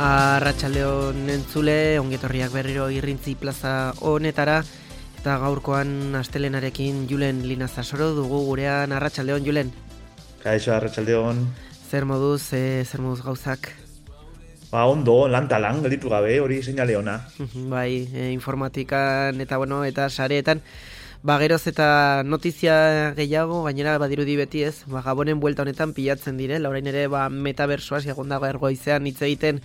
Arratsaldeon entzule, ongetorriak berriro Irrintzi plaza honetara, eta gaurkoan astelenarekin Julen Linazasoro dugu gurean. Arratsaldeon, Julen. Kaixo, arratsaldeon. Zer moduz gauzak? Ondo, lan gelditu gabe, hori seinale ona. Bai, informatikan eta sareetan, geroz eta notizia gehiago, gainera badirudi beti ez, Gabonen buelta honetan pilatzen direla, orain ere metabersoaz egondago ergoizean hitz egiten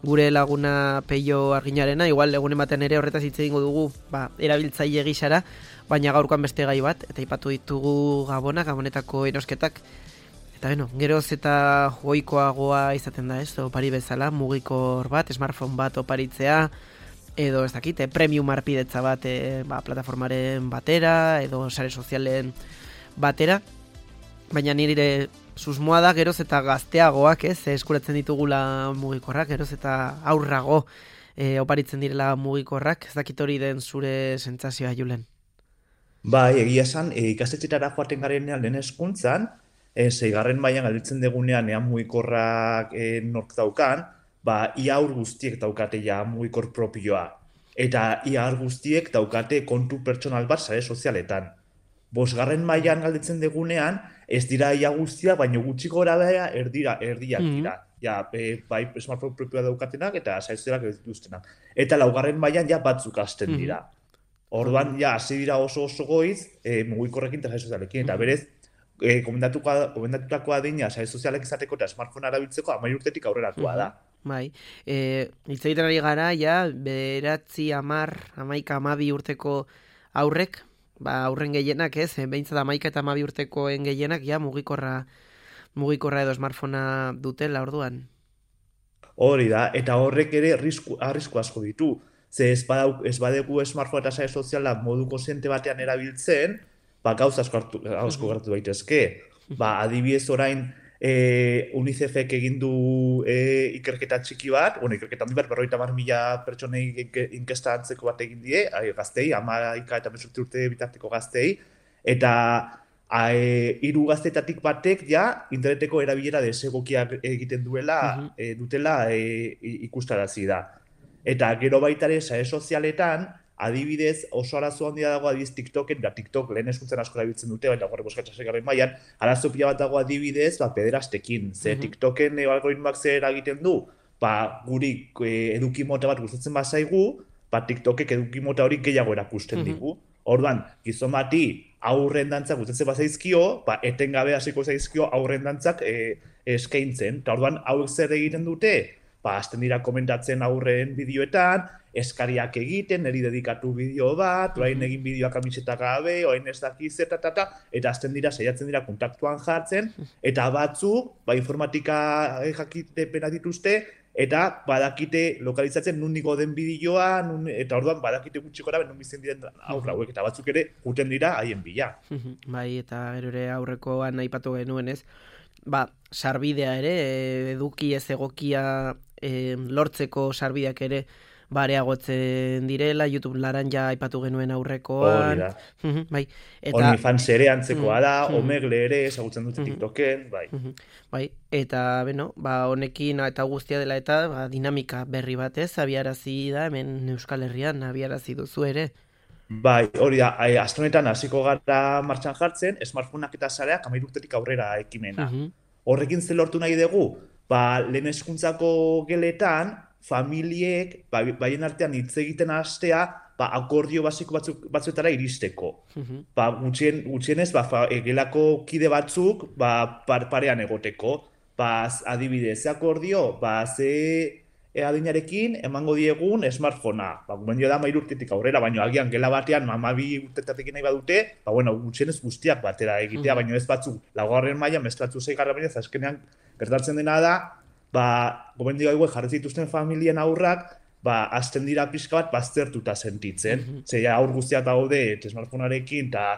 gure laguna Peio Arginarena, igual egun ematen ere horretaz hitz egingo dugu, erabiltzaile gisara, baina gaurkoan beste gai bat, eta aipatu ditugu Gabonetako erosketak, eta geroz eta goikoagoa izaten da ez, opari bezala, mugikor bat, smartphone bat oparitzea, edo ez dakit, premium arpidetza bat plataformaren batera, edo sare sozialen batera, baina nire susmoa da geroz eta gazteagoak eskuratzen ditugula mugikorrak, geroz eta aurrago oparitzen direla mugikorrak, ez dakit hori den zure sentsazioa, Julen? Bai, egia esan, ikastetxetara joaten garenean lehen hezkuntzan, 6. mailan galditzen degunean mugikorrak nork daukan, ia aur guztiek daukate ja mugikor propioa. Eta ia aur guztiek daukate kontu pertsonal bat sare sozialetan. 5. mailan galditzen degunean, ez dira ia guztiak, baina gutxi gora bera erdiak dira. Bai smartphone propioa daukatenak eta sare sozialak ez dituztenak. Eta 4. mailan batzuk hasten dira. Orduan hasi dira oso goiz mugikorrekin eta sare sozialekin. Eta berez, komendatutakoa adina sare sozialek izateko eta smartphone arabiltzeko 10 urtetik aurreratua da. Bai, hitz egiten ari gara, 9, 10, 11, 12 urteko aurrek, aurren gehienak behintzat 11 eta 12 urtekoen gehienak mugikorra edo smartphonea dutela orduan. Hori da, eta horrek ere arrisku asko ditu. Ze ez badegu smartphone eta sare soziala modu kontziente batean erabiltzen, gauza asko gertatu daitezke. Adibidez orain, UNICEFek egin du ikerketa txiki bat, ikerketa handi bat, 50.000 pertsonei inkesta antzeko bat egin die, gaztei, 11 eta 18 urte bitarteko gaztei, eta 3 gaztetatik batek interneteko erabilera desegokiak egiten dutela ikustarazi da. Eta gero baita ere sare sozialetan, adibidez, oso arazo handia dago adibidez TikToken, da TikTok lehen hezkuntzan asko erabiltzen dute, baina horre 6. mailan, arazo pila bat dago adibidez, pederastekin. Ze TikToken algoritmoak zer egiten du, guri eduki mota bat gustatzen bazaigu, TikTokek eduki mota hori gehiago erakusten digu. Orduan, gizon bati aurren dantzak gustatzen bazaizkio, etengabe hasiko zaizkio aurren dantzak eskaintzen. Eta orduan, hauek zer egiten dute? Hasten dira komentatzen aurren bideoetan, eskariak egiten, niri dedikatu bideo bat, orain egin bideoak kamiseta gabe, orain ez dakiz eta hasten dira, saiatzen dira kontaktuan jartzen, eta batzuk, informatika jakitepena dituzte, eta badakite lokalizatzen nun nigo den bideoa, eta orduan badakite gutxi gora, nun bizten diren aurra hauek, eta batzuk ere guten dira haien bila. Bai, eta gero ere aurrekoan aipatu genuen ez, sarbidea ere, eduki ez egokia lortzeko sarbideak ere areagotzen direla, YouTube laranja aipatu genuen aurrekoan. Hori da. Bai. OnlyFans ere antzekoa da, Omegle ere, ezagutzen dute TikToken, bai. Bai, eta honekin eta guztia dela eta dinamika berri batez, abiarazi da, hemen Euskal Herrian abiarazi duzu ere. Bai, hori da, aste honetan hasiko gara martxan jartzen, smartphoneak eta sareak 13 urtetik aurrera ekimena. Horrekin zer lortu nahi dugu? Lehen hezkuntzako geletan, familiek, baien artean hitz egiten hastea, akordio basiko batzuetara iristeko. Gutxienez, gelako kide batzuk, parean egoteko. Adibidez, ze akordio, ze adinarekin emango diegun smartphonea. Gomendio da 13 urtetik aurrera, baina agian gela batean 12 urtetatik nahi badute, gutxienez guztiak batera egitea, baina ez batzuk 4. mailan, beste batzuk 6. mailan, azkenean gertatzen dena da, gomendio hauek jarri zituzten familien aurrak, hasten dira pixka bat baztertuta sentitzen. Ze aur guztiak daude smartphonearekin eta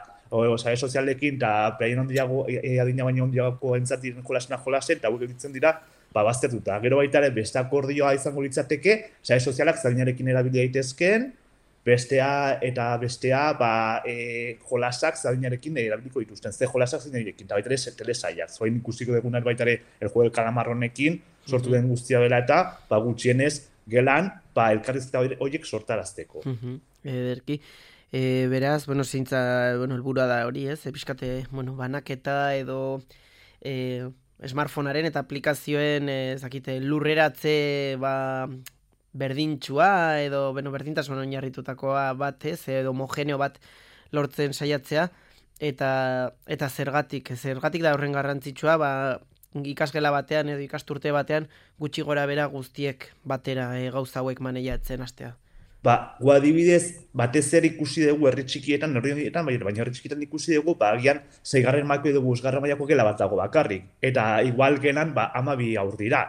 sare sozialekin eta behin adina baino handiago entzat diren jolasen, eta hauek egiten dira baztertuta. Gero baita ere beste akordioa izango litzateke, sare sozialak zainarekin erabili daitezkeen, bestea, jolasak zadinarekin erabiliko dituzten, ze jolasak zadinarekin, eta baita ere telesaiak, zoain ikusiko dugunak baita ere el juego del calamar honekin, sortu den guztia dela eta, gutxienez, gelan, elkarrizketa horiek sortarazteko. Ederki. Beraz, zintza, helburua da hori, ez? Pixkate, banaketa edo smartphonearen eta aplikazioen, zakite, lurreratze, berdintxua edo, berdintasun oinarritutakoa bat, ez? Edo homogeneo bat lortzen saiatzea, eta zergatik da horren garrantzitsua, ikasgela batean edo ikasturte batean gutxi gora bera guztiek batera gauza hauek maneiatzen hastea. Gu adibidez, batez ere ikusi dugu herri txikietan, baina herri txikietan ikusi dugu, agian 6. mailako edo 5. mailako gela bat dago bakarrik. Eta igual gelan, 12 haur dira.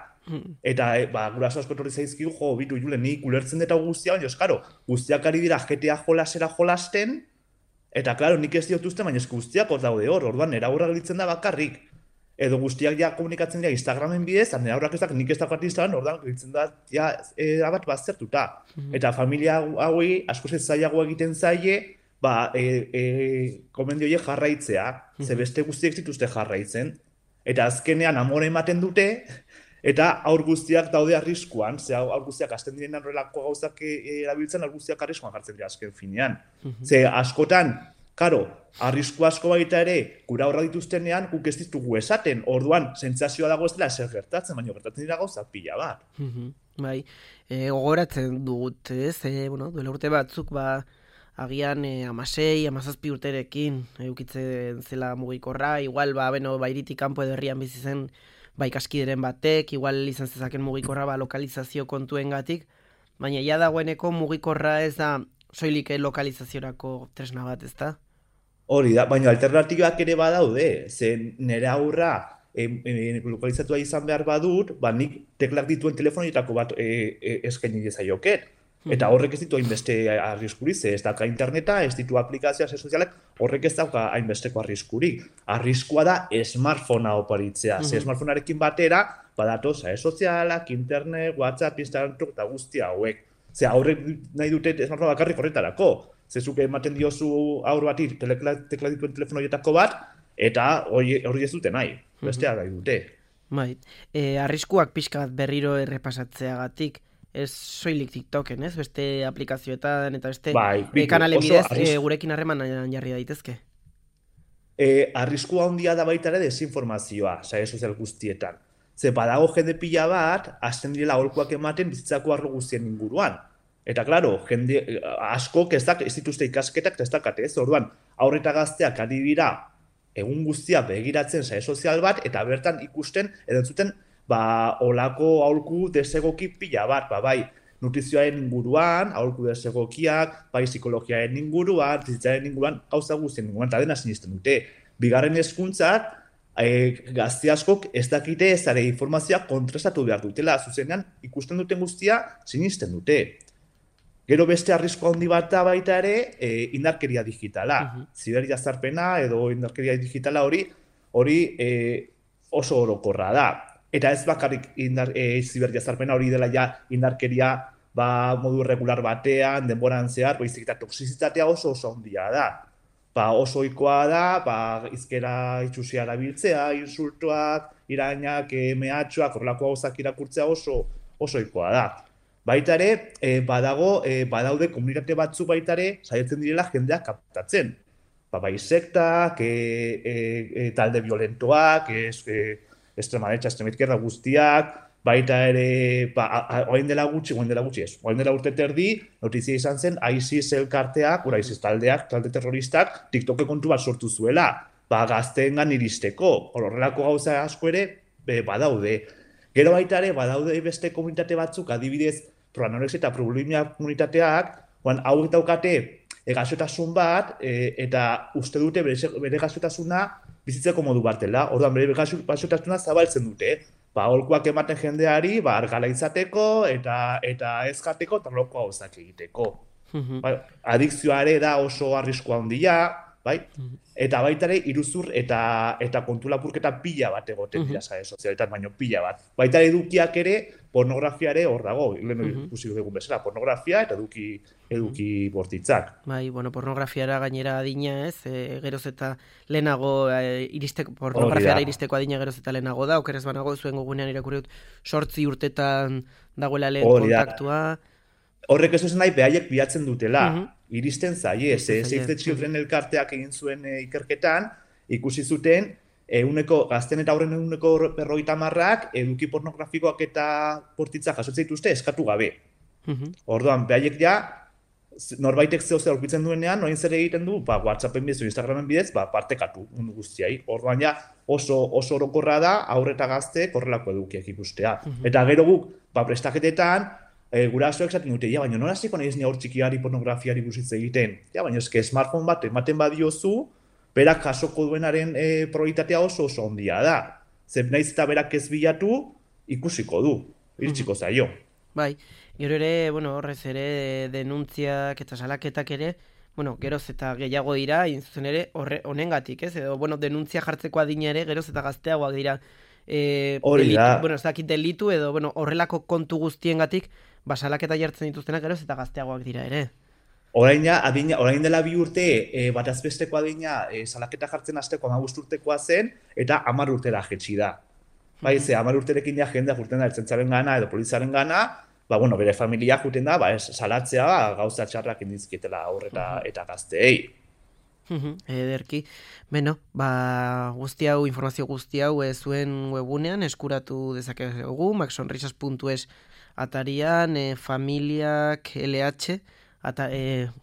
Eta guraso asko etorri zaizkigu, bitu Julen, nik ulertzen dut guztia, baina eskaro, guztiak ari dira GTA jolasera jolasten, eta klaro, nik ez diotuzten, baina guztiak hor daude hor, orduan nera aurra gelditzen da bakarrik. Edo guztiak ja komunikatzen dira Instagramen bidez, nera aurrak ezak nik ez dagoat Instagram, orduan gelditzen da bat baztertuta. Eta familia hauei, asko zailago egiten zaie, komendio horiek jarraitzea, ze beste guztiek zituzte jarraitzen, eta azkenean amore ematen dute, eta aur guztiak daude arriskuan, ze aur guztiak hasten diren horrelako gauzak erabiltzen, aur guztiak arriskuan jartzen dira azken finean. Ze askotan, karo, arrisku asko baita ere, gura horra dituztenean, guk ez ditugu esaten, orduan, sentsazioa dago ez dela zer gertatzen, baina gertatzen dira gauzak pila bat. Bai, gogoratzen dugut, ez? Duela urte batzuk, agian 16, 17 urterekin eukitzen zela mugikorra, igual, bairitik kanpo edo herrian bizi zen ikaskideren batek, igual izan zezaken mugikorra lokalizazio kontuengatik, baina ja dagoeneko mugikorra ez da soilik lokalizaziorako tresna bat, ez da? Hori da, baina alternatibak ere badaude, ze nire aurra lokalizatua izan behar badut, nik teklak dituen telefonoetako bat eskaini dezaioket. Eta horrek ez ditu hainbeste arriskurik, ez dauka interneta, ez ditu aplikazioa sozialak, horrek ez dauka hainbesteko arriskurik. Arriskua da smartphonea oparitzea, ze smartphonearekin batera, badatoz, sozialak, internet, WhatsApp, Instagram, eta guzti hauek. Ze aurrek nahi dute smartphonea bakarrik horretarako. Zezuk ematen diozu aur bati tekla dituen telefonoietako bat, eta hori ez dute nahi, bestea nahi dute. Bai, arriskuak pixka bat berriro errepasatzeagatik, ez soilik TikToken, ez? Beste aplikazioetan eta beste kanalen bidez gurekin harremanan jarri daitezke. Arriskua handia da baita ere desinformazioa, sare sozial guztietan. Ze badago jende pila bat, hasten direla aholkuak ematen bizitzako arlo guztien inguruan. Eta, klaro, jende askok ez dituzte ikasketak ez dakate, ez? Orduan, aurreta gazteak ari dira egun guztia begiratzen sare sozial bat, eta bertan ikusten, edo entzuten, olako aholku desegoki pila bat, bai, nutrizioaren inguruan, aholku desegokiak, bai, psikologiaren inguruan, bizitzaren inguruan, gauza guztien inguruan, eta dena sinisten dute. Bigarren hezkuntzak, gazte askok ez dakite ezare informazioa kontrastatu behar dutela, zuzenean ikusten duten guztia sinisten dute. Gero beste arrisku handi bat da baita ere, indarkeria digitala. Ziberjazarpena edo indarkeria digitala hori oso orokorra da. Eta ez bakarrik ziberjazarpena hori dela ja indarkeria modu regular batean, denboran zehar, baizik eta toxizitatea oso handia da. Oso ohikoa da, hizkera itsusia erabiltzea, insultuak, irainak, mehatxuak, horrelako gauzak irakurtzea oso ohikoa da. Baita ere, badaude komunitate batzu baita ere, saiatzen direla jendeak kaptatzen. Bai sektak, talde violentoak, extrema derecha, extrema izquierda guztiak, baita ere, oain dela urte terdi, notizia izan zen, ISIS elkarteak, ISIS talde terroristak, TikTok kontu bat sortu zuela, gazteengan iristeko, horrelako gauza asko ere, badaude. Gero baita ere, badaude beste komunitate batzuk, adibidez, proanorexia eta bulimia komunitateak, hauek daukate gaixotasun bat, eta uste dute bere gaixotasuna bizitzeko modu bat dela, orduan bere gaixotasuna zabaltzen dute, aholkuak ematen jendeari, argala izateko, eta ez jateko, eta loko gauzak egiteko. Adikzioa ere da oso arriskua handia, bai? Eta baita ere iruzur eta kontu lapurketa pila bat egoten dira sare sozialetan, baino pila bat. Baita ere edukiak ere pornografia ere hor dago, lehen ikusi dugun bezala, pornografia eta eduki bortitzak. Bai, bueno, pornografiara gainera adina, ez? Geroz eta lehenago pornografiara iristeko adina geroz eta lehenago da, okerez banago zuen gogunean irakurri dut 8 urtetan dagoela lehen kontaktua. Horrek ez duzen nahi behaiek bilatzen dutela, iristen zaie, Save the Children elkarteak egin zuen ikerketan, ikusi zuten, gazten eta aurren 50%ak eduki pornografikoak eta bortitzak jasotzen dituzte eskatu gabe. Orduan, behaiek ja, norbaitek zeo zer aurkitzen duenean, orain zer egiten du, WhatsAppen bidez, Instagramen bidez, partekatu mundu guztiai. Orduan ja, oso orokorra da, aurre eta gazte korrelako edukiak ikustea. Eta gero guk, prestaketetan, gurasoek esaten dute, baina nola hasiko nahiz ni aur txikiari pornografiari buruz hitz egiten. Baina eske smartphone bat ematen badiozu, berak jasoko duenaren probabilitatea oso handia da. Zer naiz eta berak ez bilatu, ikusiko du, iritsiko zaio. Bai, gero ere, horrez ere denuntziak eta salaketak ere, geroz eta gehiago dira, zuzen ere, honengatik, ez? Edo, denuntzia jartzeko adina ere, geroz eta gazteagoak dira. Ez dakit delitu edo, horrelako kontu guztiengatik, salaketa jartzen dituztenak geroz eta gazteagoak dira ere. Orain dela 2 urte, batazbesteko adina salaketa jartzen hasteko 15 urtekoa zen, eta 10 urtera jetxi da. Bai, 10 urterekin ja jendea jurten da ertzaintzaren gana edo poliziaren gana, bere familia juten da, salatzea gauza txarrak indizkietela aurreta eta gazteei. Ederki. Beno, guzti hau, informazio guzti hau zuen webunean eskuratu dezakegu, maxsonrisas.es atarian, familiak LH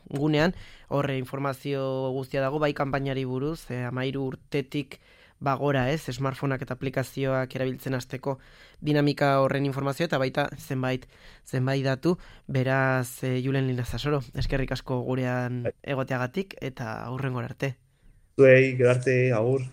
gunean, horre informazio guztia dago, bai kanpainari buruz, 13 urtetik bagora, smartphoneak eta aplikazioak erabiltzen hasteko dinamika horren informazio, eta baita zenbait datu, beraz Julen Linazasoro, eskerrik asko gurean egoteagatik, eta aurrengora arte. Zuei, gero arte, agur.